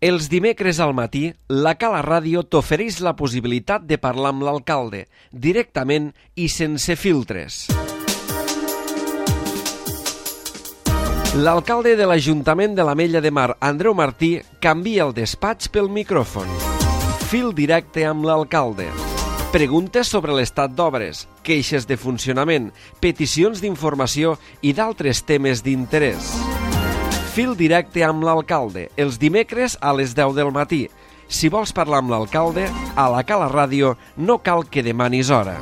Els dimecres al matí, la Cala Ràdio t'ofereix la possibilitat de parlar amb l'alcalde, directament i sense filtres. L'alcalde de l'Ajuntament de l'Ametlla de Mar, Andreu Martí, canvia el despatx pel micròfon. Fil directe amb l'alcalde. Preguntes sobre l'estat d'obres, queixes de funcionament, peticions d'informació i d'altres temes d'interès. Fil directe amb l'alcalde, els dimecres a les 10 del matí. Si vols parlar amb l'alcalde, a la Cala Ràdio no cal que demanis hora.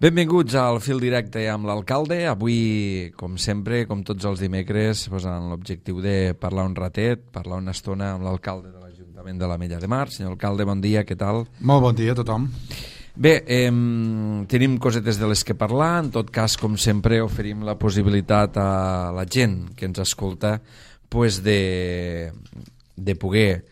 Benvinguts al Fil directe amb l'alcalde. Avui, com sempre, com tots els dimecres, amb l'objectiu de parlar un ratet, parlar una estona amb l'alcalde de l'Ajuntament de l'Ametlla de Mar. Senyor alcalde, bon dia, què tal? Molt bon dia a tothom. Bé, tenim cosetes de les que parlar. En tot cas, com sempre, oferim la possibilitat a la gent que ens escolta de poder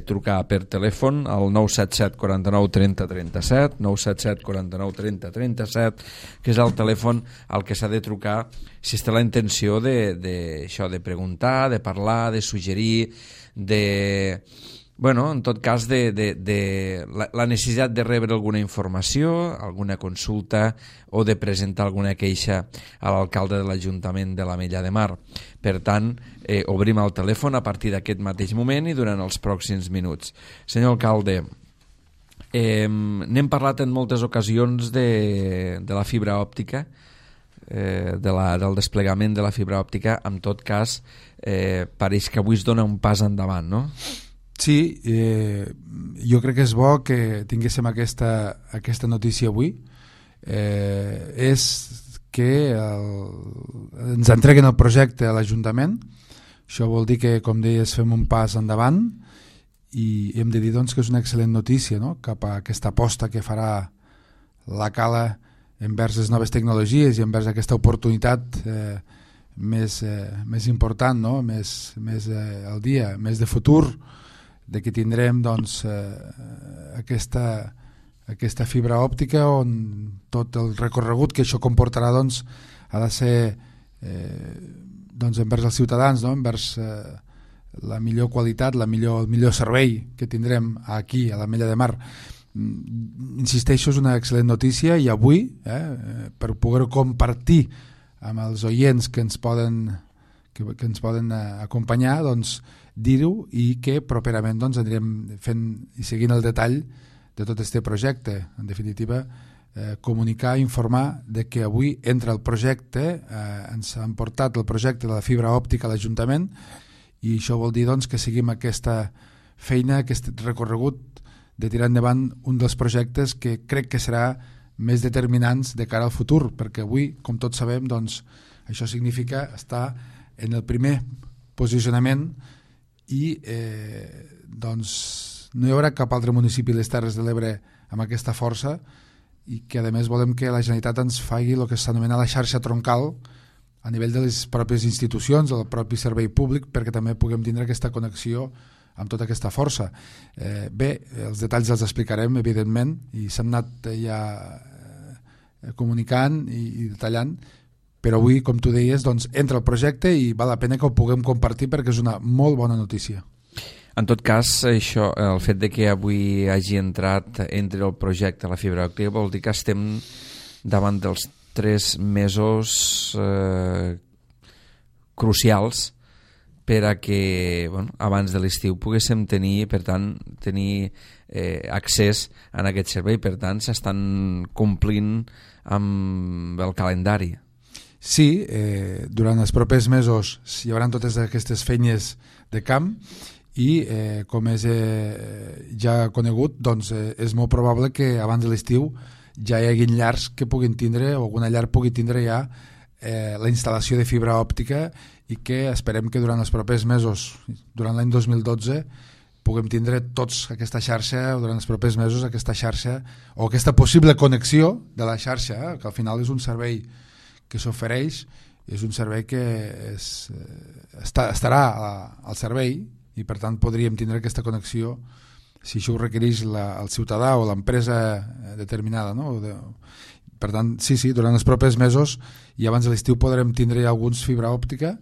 trucar per telèfon al 977 49 30 37, 977 49 30 37, que és el telèfon al que s'ha de trucar si es té la intenció de preguntar, de parlar, de suggerir, en tot cas, de la necessitat de rebre alguna informació, alguna consulta o de presentar alguna queixa a l'alcalde de l'Ajuntament de l'Ametlla de Mar. Per tant, obrim el telèfon a partir d'aquest mateix moment i durant els pròxims minuts. Senyor alcalde, n'hem parlat en moltes ocasions de la fibra òptica, del desplegament de la fibra òptica. En tot cas, pareix que avui es dona un pas endavant, no? Sí, jo crec que és bo que tinguéssim aquesta notícia avui. És que ens entreguen el projecte a l'Ajuntament. Això vol dir que, com deies, fem un pas endavant i hem de dir doncs, que és una excel·lent notícia, no?, cap a aquesta aposta que farà la Cala envers les noves tecnologies i envers aquesta oportunitat més important, no?, més al dia, més de futur, de que tindrem doncs, aquesta fibra òptica on tot el recorregut que això comportarà doncs, ha de ser envers els ciutadans, no?, envers la millor qualitat, el millor servei que tindrem aquí a l'Ametlla de Mar. Insisteixo, és una excel·lent notícia i avui, per poder compartir amb els oients que ens poden acompanyar, doncs, dir-ho, i que properament doncs, anirem fent i seguint el detall de tot aquest projecte. En definitiva, comunicar, informar de que avui entra el projecte, ens han portat el projecte de la fibra òptica a l'Ajuntament, i això vol dir doncs, que seguim aquesta feina, aquest recorregut de tirar endavant un dels projectes que crec que serà més determinants de cara al futur, perquè avui, com tots sabem, doncs, això significa estar en el primer posicionament i doncs no hi haurà cap altre municipi de les Terres de l'Ebre amb aquesta força, i que a més volem que la Generalitat ens faci el que s'anomena la xarxa troncal a nivell de les pròpies institucions, del propi servei públic, perquè també puguem tindre aquesta connexió amb tota aquesta força. Bé, els detalls els explicarem, evidentment, i s'han anat ja comunicant i detallant, però avui, com tu deies, doncs, entra el projecte i val la pena que ho puguem compartir perquè és una molt bona notícia. En tot cas, això, el fet de que avui hagi entrat entre el projecte la fibra òptica vol dir que estem davant dels 3 mesos crucials per a que abans de l'estiu poguéssim tenir accés a aquest servei. Per tant, s'estan complint amb el calendari. Sí, durant els propers mesos hi haurà totes aquestes feines de camp i, com és ja conegut, doncs, és molt probable que abans de l'estiu ja hi hagi llars que puguin tindre, o alguna llar pugui tindre ja la instal·lació de fibra òptica, i que esperem que durant els propers mesos, durant l'any 2012, puguem tindre tots aquesta xarxa, o durant els propers mesos aquesta xarxa, o aquesta possible connexió de la xarxa, que al final és un servei que s'ofereix, és un servei que estarà al servei, i per tant podríem tindre aquesta connexió si això ho requereix el ciutadà o l'empresa determinada, no? Per tant, sí, durant els propers mesos i abans de l'estiu podrem tindre alguns fibra òptica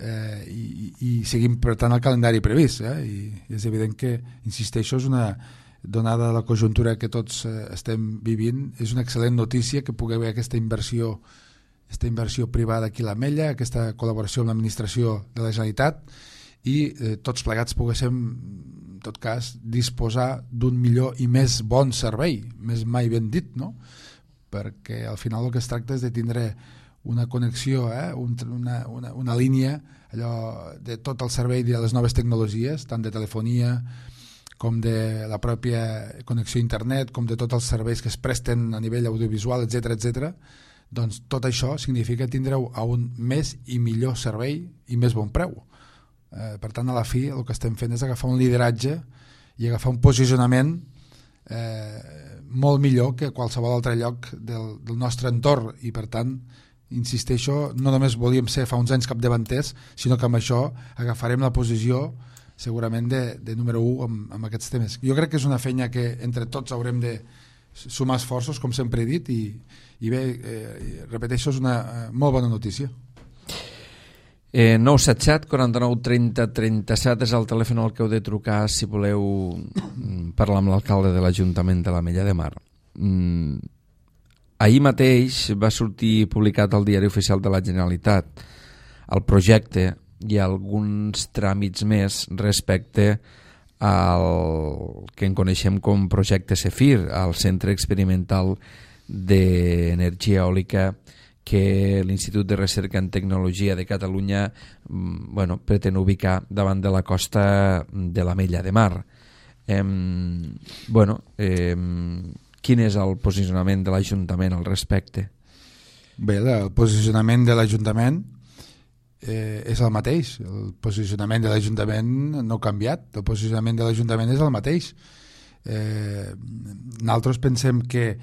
i seguim per tant el calendari previst, i és evident que, insisteixo, és una donada la conjuntura que tots estem vivint, és una excel·lent notícia que pugui haver aquesta inversió privada aquí a l'Ametlla, aquesta col·laboració amb l'administració de la Generalitat i tots plegats poguéssim, en tot cas, disposar d'un millor i més bon servei, més mai ben dit, no? Perquè al final el que es tracta és de tindre una connexió, una línia allò de tot el servei de les noves tecnologies, tant de telefonia com de la pròpia connexió a internet, com de tots els serveis que es presten a nivell audiovisual, etc. Doncs tot això significa tindre a un més i millor servei i més bon preu. Per tant, a la fi el que estem fent és agafar un lideratge i agafar un posicionament molt millor que qualsevol altre lloc del nostre entorn, i per tant, insisteixo, no només volíem ser fa uns anys capdavanters, sinó que amb això agafarem la posició segurament de número 1 amb aquests temes. Jo crec que és una feina que entre tots haurem de sumar esforços, com sempre he dit, i bé, repeteixo, és una molt bona notícia. 977 49 30 37 és el telèfon al que heu de trucar si voleu parlar amb l'alcalde de l'Ajuntament de l'Ametlla de Mar. Ahir mateix va sortir publicat al Diari Oficial de la Generalitat el projecte i alguns tràmits més respecte al que en coneixem com projecte CEFIR, al Centre Experimental d'Energia Eòlica que l'Institut de Recerca en Tecnologia de Catalunya pretén ubicar davant de la costa de l'Ametlla de Mar. Quin és el posicionament de l'Ajuntament al respecte? Bé, el posicionament de l'Ajuntament és el mateix. El posicionament de l'Ajuntament no ha canviat. El posicionament de l'Ajuntament és el mateix. Nosaltres pensem que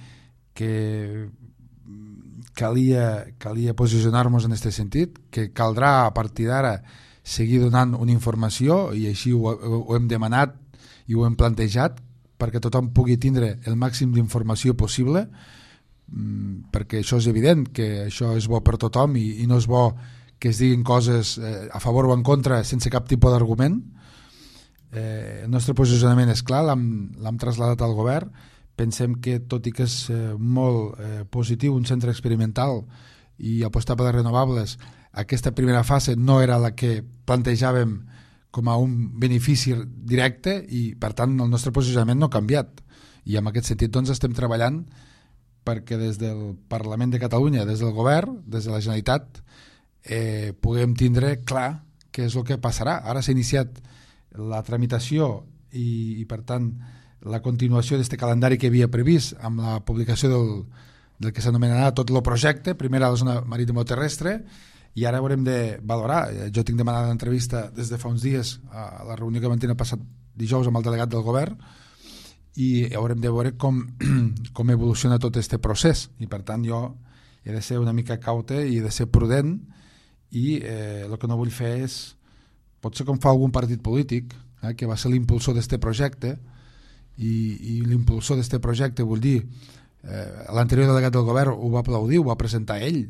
calia posicionar-nos en aquest sentit, que caldrà a partir d'ara seguir donant una informació, i així ho hem demanat i ho hem plantejat perquè tothom pugui tindre el màxim d'informació possible, perquè això és evident que això és bo per tothom i no és bo que es diguin coses a favor o en contra sense cap tipus d'argument. El nostre posicionament és clar, l'hem traslladat al govern. Pensem que, tot i que és molt positiu un centre experimental i apostar per les renovables, aquesta primera fase no era la que plantejàvem com a un benefici directe i, per tant, el nostre posicionament no ha canviat. I en aquest sentit doncs, estem treballant perquè des del Parlament de Catalunya, des del govern, des de la Generalitat, puguem tindre clar què és el que passarà. Ara s'ha iniciat la tramitació i per tant, la continuació d'aquest calendari que havia previst amb la publicació del que s'anomenarà tot el projecte, primer a la zona maritimo-terrestre, i ara haurem de valorar. Jo tinc demanat l'entrevista des de fa uns dies a la reunió que vam tenir el passat dijous amb el delegat del govern, i haurem de veure com evoluciona tot aquest procés, i per tant jo he de ser una mica caute i he de ser prudent, i el que no vull fer és, potser com fa algun partit polític que va ser l'impulsor d'aquest projecte, i l'impulsor d'aquest projecte, vull dir, l'anterior delegat del govern ho va aplaudir, ho va presentar ell,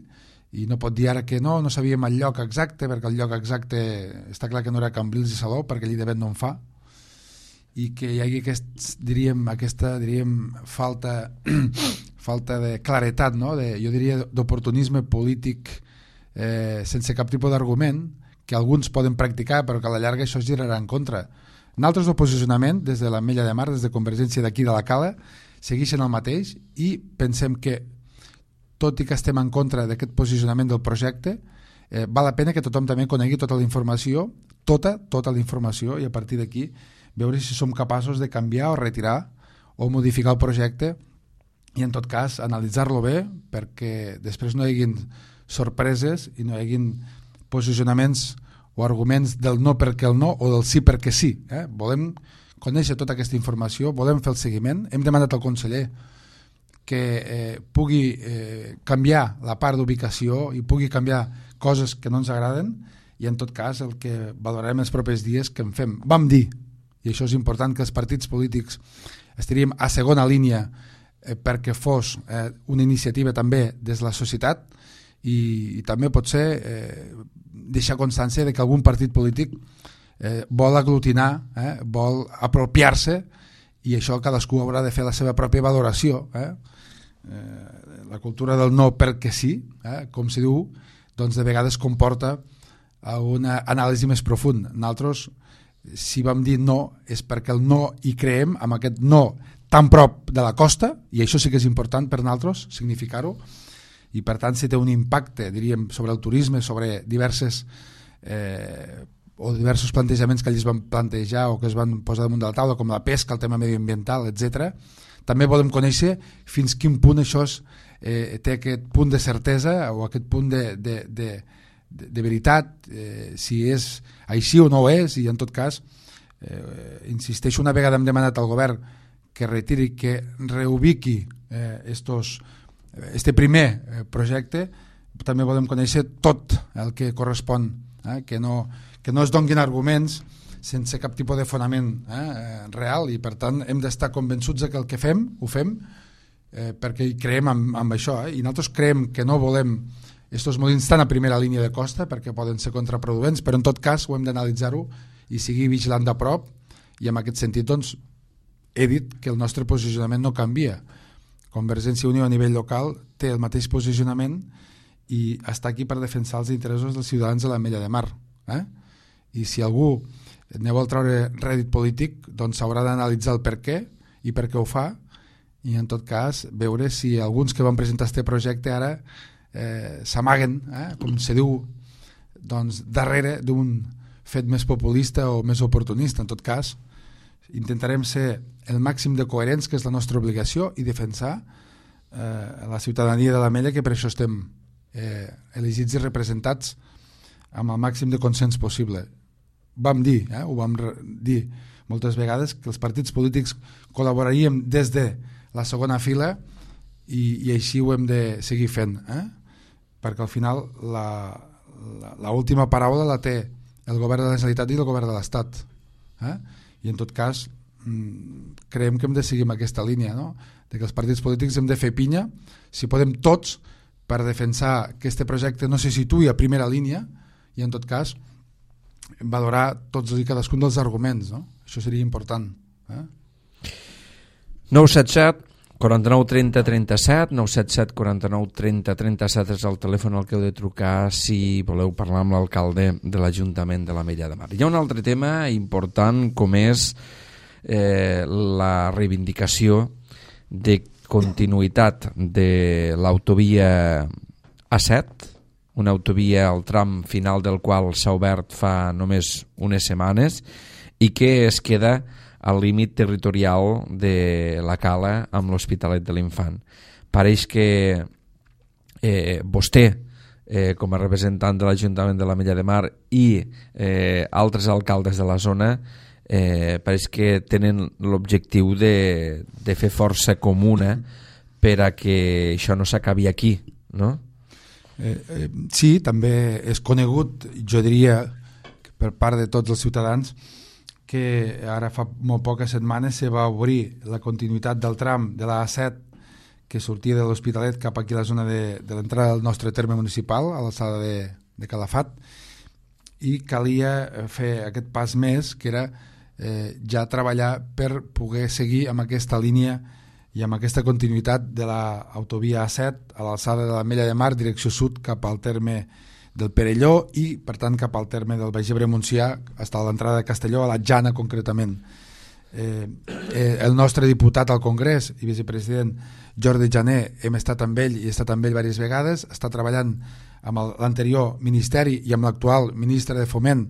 i no pot dir ara que no sabíem el lloc exacte, perquè el lloc exacte està clar que no era Cambrils i Salou, perquè allí de vent no en fa, i que hi hagi aquesta falta de claretat, no? Jo diria d'oportunisme polític sense cap tipus d'argument, que alguns poden practicar però que a la llarga això es girarà en contra. Nosaltres el posicionament des de l'Ametlla de Mar, des de Convergència d'aquí de la Cala, segueixen el mateix, i pensem que, tot i que estem en contra d'aquest posicionament del projecte, val la pena que tothom també conegui tota la informació, tota la informació, i a partir d'aquí veure si som capaços de canviar o retirar o modificar el projecte, i en tot cas analitzar-lo bé perquè després no hi hagin sorpreses i no hi hagin posicionaments o arguments del no perquè el no o del sí perquè sí. Volem conèixer tota aquesta informació, volem fer el seguiment. Hem demanat al conseller que pugui canviar la part d'ubicació i pugui canviar coses que no ens agraden, i en tot cas el que valorarem els propers dies que en fem. Vam dir, i això és important, que els partits polítics estaríem a segona línia perquè fos una iniciativa també des de la societat i també potser deixar constància de que algun partit polític vol aglutinar, vol apropiar-se, i això cadascú haurà de fer la seva pròpia valoració. La cultura del no perquè sí, com si diu, doncs de vegades comporta una anàlisi més profunda. Nosaltres, si vam dir no, és perquè el no hi creem, amb aquest no tan prop de la costa, i això sí que és important per nosaltres significar-ho, i per tant si té un impacte, diríem, sobre el turisme, sobre diversos plantejaments que ells van plantejar o que es van posar damunt de la taula, com la pesca, el tema medioambiental, etc. També volem conèixer fins quin punt això té aquest punt de certesa o aquest punt de veritat, si és així o no ho és, i en tot cas insisteixo, una vegada hem demanat al govern que retiri, que reubiqui este primer projecte, també volem conèixer tot el que correspon, que no es donguin arguments sense cap tipus de fonament real, i per tant hem d'estar convençuts que el que fem, ho fem perquè hi creiem amb això, i nosaltres creiem que no volem estos molins tan a primera línia de costa perquè poden ser contraproduents, però en tot cas ho hem d'analitzar-ho i seguir vigilant de prop, i en aquest sentit doncs he dit que el nostre posicionament no canvia. Convergència i Unió a nivell local té el mateix posicionament i està aquí per defensar els interessos dels ciutadans de l'Ametlla de Mar, i si algú ne vol treure rèdit polític, doncs s'haurà d'analitzar el per què i per què ho fa, i en tot cas veure si alguns que van presentar este projecte ara s'amaguen, com se diu, doncs darrere d'un fet més populista o més oportunista. En tot cas intentarem ser el màxim de coherents, que és la nostra obligació, i defensar la ciutadania de l'Ametlla, que per això estem elegits i representats amb el màxim de consens possible. Vam dir, ho vam dir moltes vegades, que els partits polítics col·laboraríem des de la segona fila, i així ho hem de seguir fent, perquè al final l'última paraula la té el govern de la Generalitat i el govern de l'Estat, i en tot cas creiem que hem de seguir amb aquesta línia, no? De que els partits polítics hem de fer pinya, si podem tots, per defensar que este projecte no se situï a primera línia, i en tot cas valorar tots i cadascun dels arguments, no? Això seria important. 977 49 30 37, 977 49 30 37 és el telèfon al que heu de trucar si voleu parlar amb l'alcalde de l'Ajuntament de l'Ametlla de Mar. Hi ha un altre tema important, com és la reivindicació de continuïtat de l'autovia A7, una autovia al tram final del qual s'ha obert fa només unes setmanes i que es queda al límit territorial de la Cala amb l'Hospitalet de l'Infant. Pareix que vostè, com a representant de l'Ajuntament de l'Ametlla de Mar, i altres alcaldes de la zona, pareix que tenen l'objectiu de fer força comuna per a que això no s'acabi aquí, no? Sí, també és conegut, jo diria, per part de tots els ciutadans, que ara fa molt poques setmanes se va obrir la continuïtat del tram de la A7 que sortia de l'Hospitalet cap aquí a la zona de l'entrada del nostre terme municipal, a l'alçada de Calafat, i calia fer aquest pas més, que era ja treballar per poder seguir amb aquesta línia i amb aquesta continuïtat de l'autovia A7 a l'alçada de l'Ametlla de Mar, direcció sud cap al terme del Perelló i per tant cap al terme del Baix Ebre-Montsià, fins a l'entrada de Castelló, a la Jana concretament. El nostre diputat al Congrés i vicepresident Jordi Jané, hem estat amb ell i he estat amb ell diverses vegades, està treballant amb l'anterior ministeri i amb l'actual ministre de Foment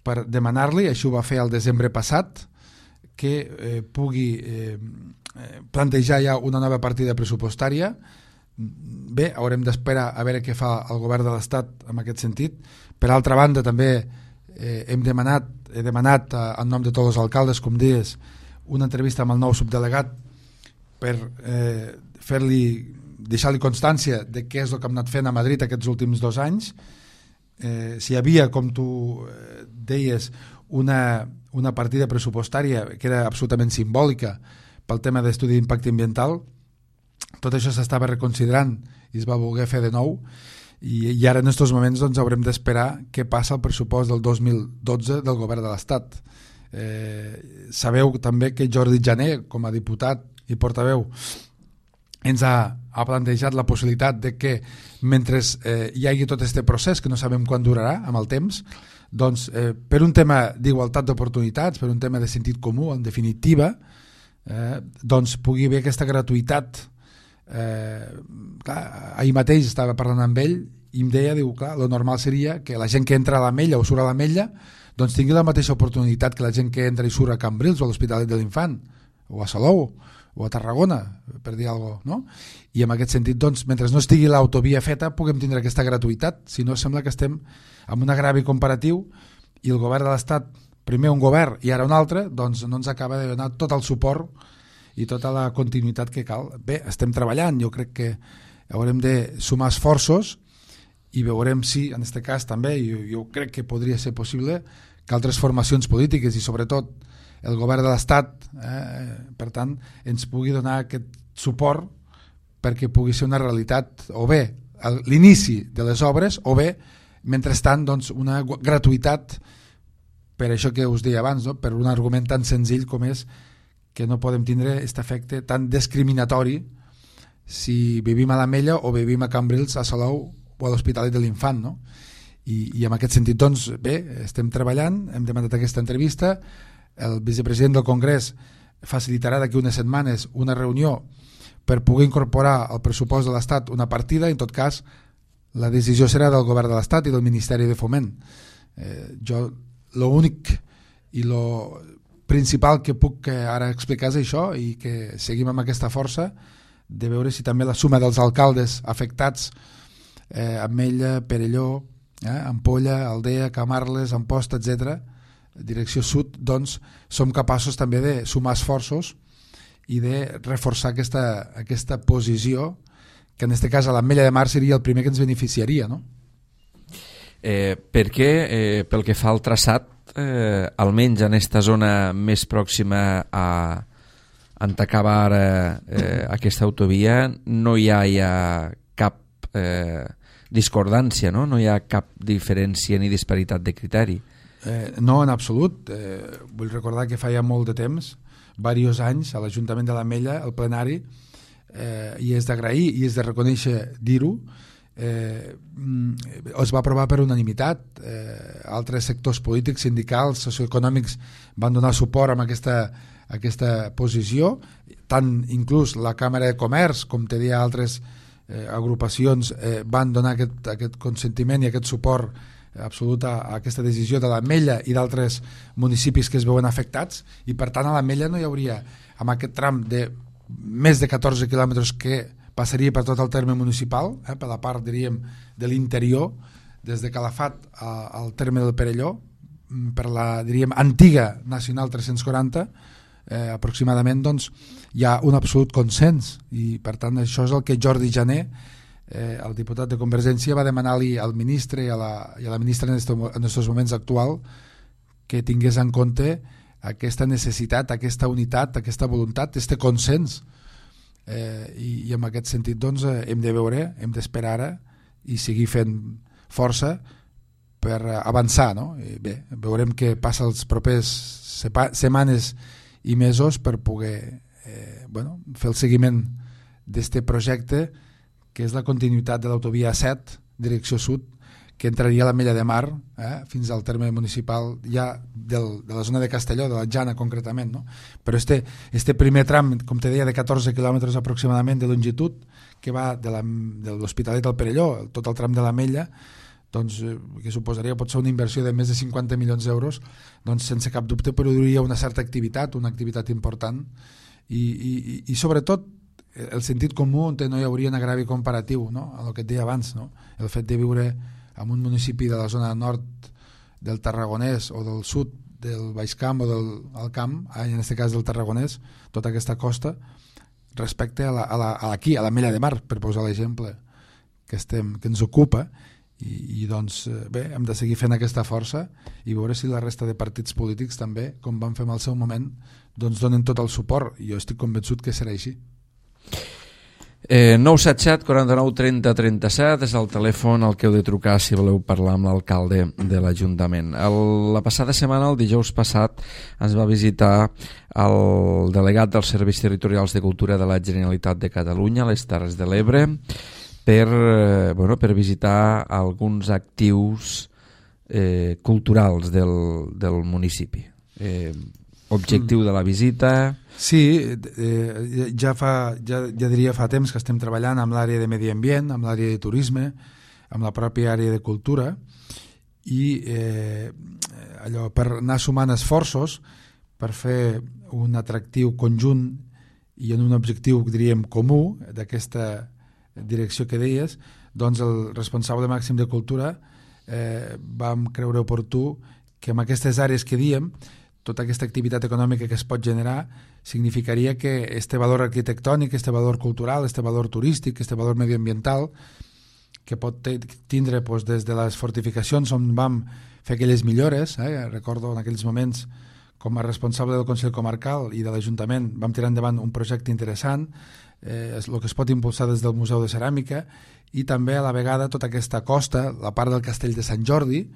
per demanar-li, això ho va fer el desembre passat, que pugui plantejar ja una nova partida pressupostària. Bé, haurem d'esperar a veure què fa el govern de l'Estat en aquest sentit. Per altra banda, també he demanat en nom de tots els alcaldes, com dius, una entrevista amb el nou subdelegat per deixar-li constància de què és el que hem anat fent a Madrid aquests últims 2 anys. Si hi havia, com tu deies, una partida pressupostària que era absolutament simbòlica pel tema d'estudi d'impacte ambiental, tot això s'estava reconsiderant i es va voler fer de nou, i ara en aquests moments doncs, haurem d'esperar què passa al pressupost del 2012 del govern de l'Estat. Sabeu també que Jordi Jané, com a diputat i portaveu, ens ha plantejat la possibilitat de que mentre hi hagi tot aquest procés, que no sabem quan durarà amb el temps, doncs, per un tema d'igualtat d'oportunitats, per un tema de sentit comú, en definitiva, doncs pugui haver aquesta gratuïtat. Ahir mateix estava parlant amb ell i em deia, diu, clar, lo normal seria que la gent que entra a l'Ametlla o surt a l'Ametlla doncs tingui la mateixa oportunitat que la gent que entra i surt a Cambrils o a l'Hospitalet de l'Infant o a Salou o a Tarragona, per dir alguna cosa, no? I en aquest sentit, doncs, mentre no estigui l'autovia feta, puguem tindre aquesta gratuïtat. Si no, sembla que estem amb un agravi comparatiu i el govern de l'Estat, primer un govern i ara un altre, doncs no ens acaba de donar tot el suport i tota la continuïtat que cal. Bé, estem treballant, jo crec que haurem de sumar esforços i veurem si, en aquest cas també, jo crec que podria ser possible que altres formacions polítiques i sobretot el govern de l'Estat, per tant, ens pugui donar aquest suport perquè pugui ser una realitat, o bé l'inici de les obres, o bé, mentrestant, doncs, una gratuïtat, per això que us deia abans, no? Per un argument tan senzill com és que no podem tindre aquest efecte tan discriminatori si vivim a l'Ametlla o vivim a Cambrils, a Salou o a l'Hospitalet de l'Infant, no? I en aquest sentit, doncs, bé, estem treballant, hem demanat aquesta entrevista, el vicepresident del Congrés facilitarà d'aquí unes setmanes una reunió per poder incorporar al pressupost de l'Estat una partida, en tot cas la decisió serà del govern de l'Estat i del Ministeri de Foment. Jo l'únic i lo principal que puc ara explicar és això i que seguim amb aquesta força de veure si també la suma dels alcaldes afectats, Ametlla, Perelló, Ampolla, Aldea, Camarles, Amposta, etc., direcció sud, doncs som capaços també de sumar esforços i de reforçar aquesta posició que en aquest cas a l'Ametlla de Mar seria el primer que ens beneficiaria, no? Perquè pel que fa al traçat, almenys en aquesta zona més pròxima a on acaba ara aquesta autovia, no hi ha cap discordància, no? No hi ha cap diferència ni disparitat de criteri. No, en absolut. Vull recordar que fa ja molt de temps, diversos anys, a l'Ajuntament de l'Ametlla, el plenari, i és d'agrair i és de reconèixer dir-ho, es va aprovar per unanimitat. Altres sectors polítics, sindicals, socioeconòmics van donar suport a aquesta posició, tant inclús la Càmera de Comerç com te deia altres agrupacions van donar aquest consentiment i aquest suport absolut a aquesta decisió de l'Ametlla i d'altres municipis que es veuen afectats, i per tant a l'Ametlla no hi hauria, amb aquest tram de més de 14 quilòmetres que passaria per tot el terme municipal, per la part, diríem, de l'interior, des de Calafat al terme del Perelló, per la, diríem, antiga Nacional 340, aproximadament, doncs hi ha un absolut consens, i per tant això és el que Jordi Jané, el diputat de Convergència, va demanar-li al ministre i a la ministra en aquests moments actual que tingués en compte aquesta necessitat, aquesta unitat, aquesta voluntat, aquest consens, i en aquest sentit doncs hem de veure, hem d'esperar ara i seguir fent força per avançar, no? Bé, veurem què passa els propers setmanes i mesos per poder fer el seguiment d'aquest projecte, que és la continuïtat de l'autovia 7, direcció sud, que entraria a l'Ametlla de Mar fins al terme municipal ja de la zona de Castelló, de la Jana concretament, no? Però este primer tram, com te deia, de 14 quilòmetres aproximadament de longitud, que va de l'Hospitalet al Perelló, tot el tram de l'Ametlla, doncs, que suposaria potser una inversió de més de 50 milions d'euros, doncs sense cap dubte produiria una certa activitat, una activitat important, i sobretot el sentit comú on no hi hauria un agravi comparatiu, no? El que et deia abans, no? El fet de viure en un municipi de la zona nord del Tarragonès o del sud del Baix Camp o del Alt Camp, en aquest cas del Tarragonès, tota aquesta costa, respecte a l'Ametlla de Mar, per posar l'exemple que ens ocupa, i doncs bé, hem de seguir fent aquesta força i veure si la resta de partits polítics també, com van fer en el seu moment, doncs donen tot el suport, i jo estic convençut que serà així. 977 49 30 37 és el telèfon al que heu de trucar si voleu parlar amb l'alcalde de l'Ajuntament. La passada setmana, el dijous passat, ens va visitar el delegat dels Serveis Territorials de Cultura de la Generalitat de Catalunya a les Terres de l'Ebre per visitar alguns actius culturals del municipi. Objectiu de la visita... Sí, ja diria fa temps que estem treballant amb l'àrea de medi ambient, amb l'àrea de turisme, amb la pròpia àrea de cultura i allò per anar sumant esforços per fer un atractiu conjunt i en un objectiu, diríem, comú d'aquesta direcció que deies, doncs el responsable màxim de cultura vam creure oportú que en aquestes àrees que diem tota aquesta activitat econòmica que es pot generar significaria que este valor arquitectònic, este valor cultural, este valor turístic, este valor medioambiental que pot tindre des de les fortificacions on vam fer aquelles millores, recordo en aquells moments com a responsable del Consell Comarcal i de l'Ajuntament vam tirar endavant un projecte interessant, el que es pot impulsar des del Museu de Ceràmica i també a la vegada tota aquesta costa, la part del Castell de Sant Jordi,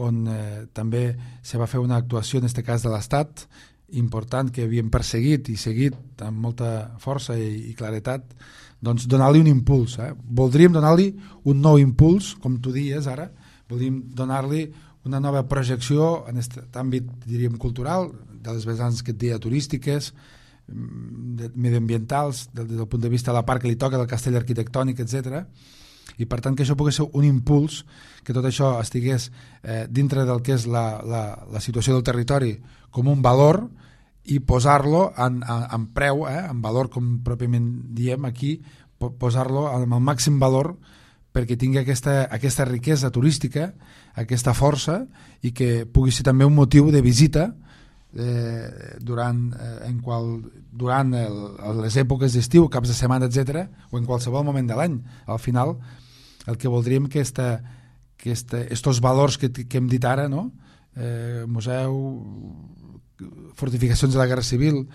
on també se va fer una actuació en aquest cas de l'Estat important que havíem perseguit i seguit amb molta força i claretat, doncs donar-li un impuls. Voldríem donar-li un nou impuls, com tu dies ara, voldríem donar-li una nova projecció en aquest àmbit, diríem, cultural, de les vessants que et deia turístiques, medioambientals, des del punt de vista de la part que li toca, del castell arquitectònic, etc. I per tant que això pogués ser un impuls, que tot això estigués dintre del que és la situació del territori com un valor i posar-lo en preu, en valor com pròpiament diem aquí, posar-lo amb el màxim valor perquè tingui aquesta riquesa turística, aquesta força i que pugui ser també un motiu de visita durant les èpoques d'estiu, caps de setmana, etc., o en qualsevol moment de l'any. Al final, el que voldríem que estos valors que hem dit ara, no? Museu, fortificacions de la Guerra Civil,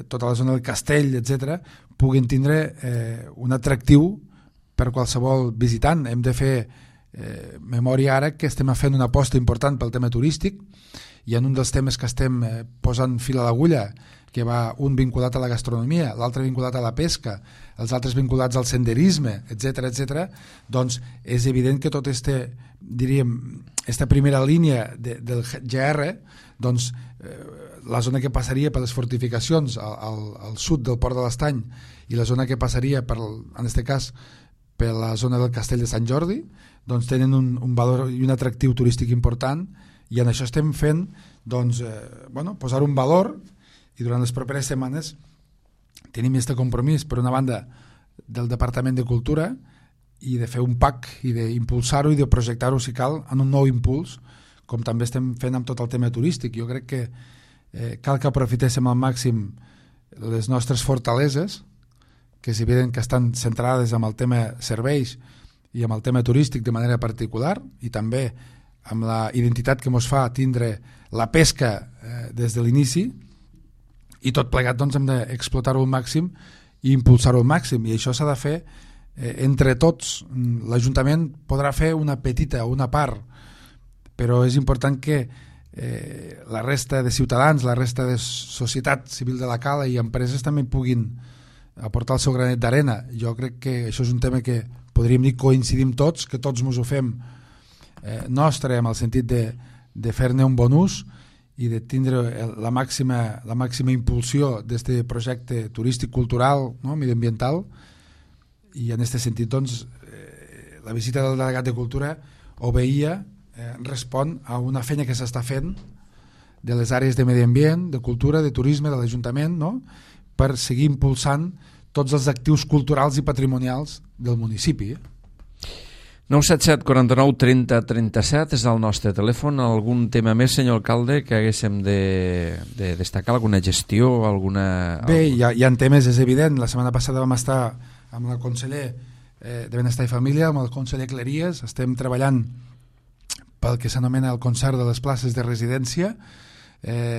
tota la zona del castell, etc., puguin tindre un atractiu per qualsevol visitant. Hem de fer memòria ara que estem fent una aposta important pel tema turístic i en un dels temes que estem posant fil a l'agulla, que va un vinculat a la gastronomia, l'altre vinculat a la pesca, els altres vinculats al senderisme, etc., doncs és evident que tot esta primera línia del GR, doncs la zona que passaria per les fortificacions al sud del Port de l'Estany i la zona que passaria, en aquest cas, per la zona del Castell de Sant Jordi, doncs tenen un valor i un atractiu turístic important i en això estem fent posar un valor i durant les properes setmanes tenim aquest compromís per una banda del Departament de Cultura i de fer un PAC i d'impulsar-ho i de projectar-ho si cal en un nou impuls com també estem fent amb tot el tema turístic. Jo crec que cal que aprofitéssim al màxim les nostres fortaleses que és evident que estan centrades en el tema serveis i amb el tema turístic de manera particular i també amb la identitat que ens fa tindre la pesca des de l'inici i tot plegat doncs hem d'explotar-ho al màxim i impulsar-ho al màxim i això s'ha de fer entre tots. L'Ajuntament podrà fer una petita, una part, però és important que la resta de ciutadans, la resta de societat civil de la Cala i empreses també puguin aportar el seu granet d'arena. Jo crec que això és un tema que podríem dir coincidim tots, que tots ens ho fem nostre en el sentit de fer-ne un bon ús i de tindre la màxima impulsió d'aquest projecte turístic cultural, no? Medioambiental, i en aquest sentit doncs, la visita del delegat de Cultura respon a una feina que s'està fent de les àrees de medi ambient, de cultura, de turisme, de l'Ajuntament, no? Per seguir impulsant tots els actius culturals i patrimonials del municipi. 977 49 30 37 és el nostre telèfon. Algun tema més, senyor alcalde, que haguéssim de destacar? Alguna gestió? Bé, hi ha temes, és evident. La setmana passada vam estar amb el conseller de Benestar i Família, amb el conseller Cleries. Estem treballant pel que s'anomena el concert de les places de residència.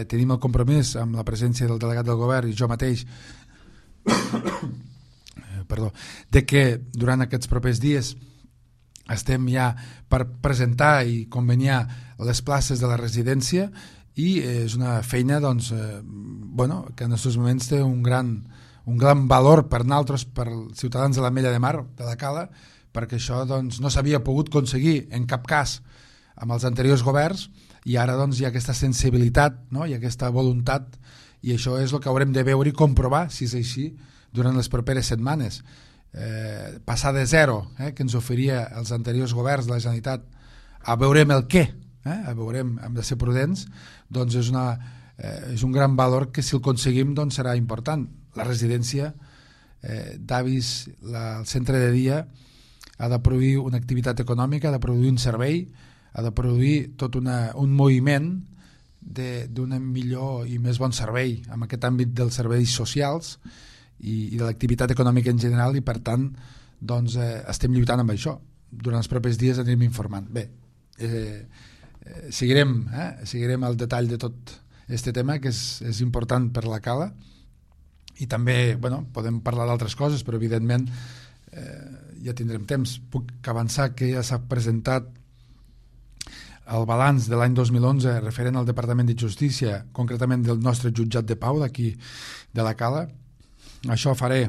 Tenim el compromís amb la presència del delegat del govern i jo mateix de que durant aquests propers dies estem ja per presentar i conveniar les places de la residència i és una feina doncs, que en aquests moments té un gran valor per nosaltres, per els ciutadans de l'Ametlla de Mar, de la Cala, perquè això doncs, no s'havia pogut aconseguir en cap cas amb els anteriors governs i ara doncs, hi ha aquesta sensibilitat, no? Hi ha aquesta voluntat i això és el que haurem de veure i comprovar, si és així, durant les properes setmanes. Passar de zero, que ens oferia els anteriors governs de la Generalitat, a veurem el què, a veurem, hem de ser prudents, doncs és un gran valor que si el aconseguim doncs serà important. La residència d'avis, el centre de dia, ha de produir una activitat econòmica, ha de produir un servei, ha de produir tot un moviment d'un millor i més bon servei en aquest àmbit dels serveis socials i de l'activitat econòmica en general i per tant doncs, estem lluitant amb això. Durant els propers dies anirem informant. Bé, seguirem el detall de tot aquest tema que és important per la Cala i també podem parlar d'altres coses però evidentment ja tindrem temps. Puc avançar que ja s'ha presentat el balanç de l'any 2011 referent al Departament de Justícia, concretament del nostre jutjat de pau d'aquí de la Cala. Això faré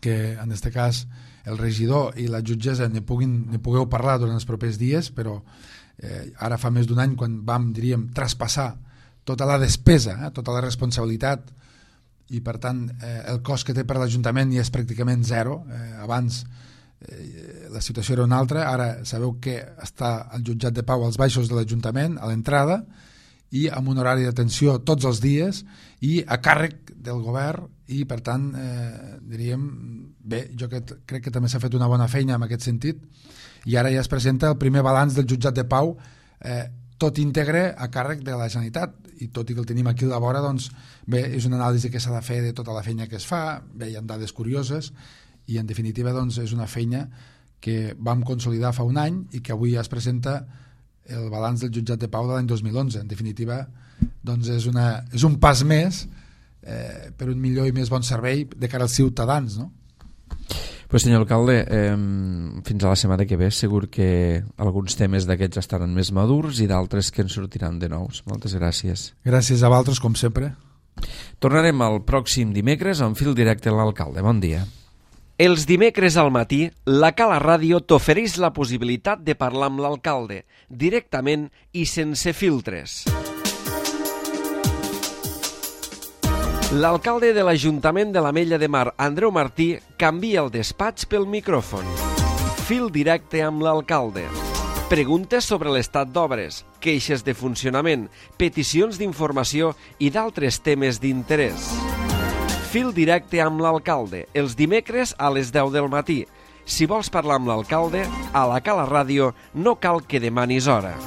que en aquest cas el regidor i la jutgessa ne pugueu parlar durant els propers dies, però ara fa més d'un any quan vam, diríem, traspassar tota la despesa, tota la responsabilitat i per tant el cost que té per l'Ajuntament ja és pràcticament zero. Abans la situació era una altra, ara sabeu que està el jutjat de pau als baixos de l'Ajuntament, a l'entrada, i amb un horari d'atenció tots els dies i a càrrec del govern i per tant diríem, bé, jo crec que també s'ha fet una bona feina en aquest sentit i ara ja es presenta el primer balanç del jutjat de pau tot íntegre a càrrec de la Generalitat i tot i que el tenim aquí a la vora doncs bé, és una anàlisi que s'ha de fer de tota la feina que es fa, bé, hi ha dades curioses i en definitiva doncs és una feina que vam consolidar fa un any i que avui ja es presenta el balanç del jutjat de pau de l'any 2011. En definitiva doncs és un pas més per un millor i més bon servei de cara als ciutadans, no? Pues senyor alcalde, fins a la setmana que ve segur que alguns temes d'aquests estaran més madurs i d'altres que ens sortiran de nous. Moltes gràcies. Gràcies a vosaltres, com sempre. Tornarem el pròxim dimecres amb fil directe a l'alcalde. Bon dia. Els dimecres al matí, la Cala Ràdio t'ofereix la possibilitat de parlar amb l'alcalde, directament i sense filtres. L'alcalde de l'Ajuntament de l'Ametlla de Mar, Andreu Martí, canvia el despatx pel micròfon. Fil directe amb l'alcalde. Preguntes sobre l'estat d'obres, queixes de funcionament, peticions d'informació i d'altres temes d'interès. Fil directe amb l'alcalde, els dimecres a les 10 del matí. Si vols parlar amb l'alcalde, a la Cala Ràdio no cal que demanis hora.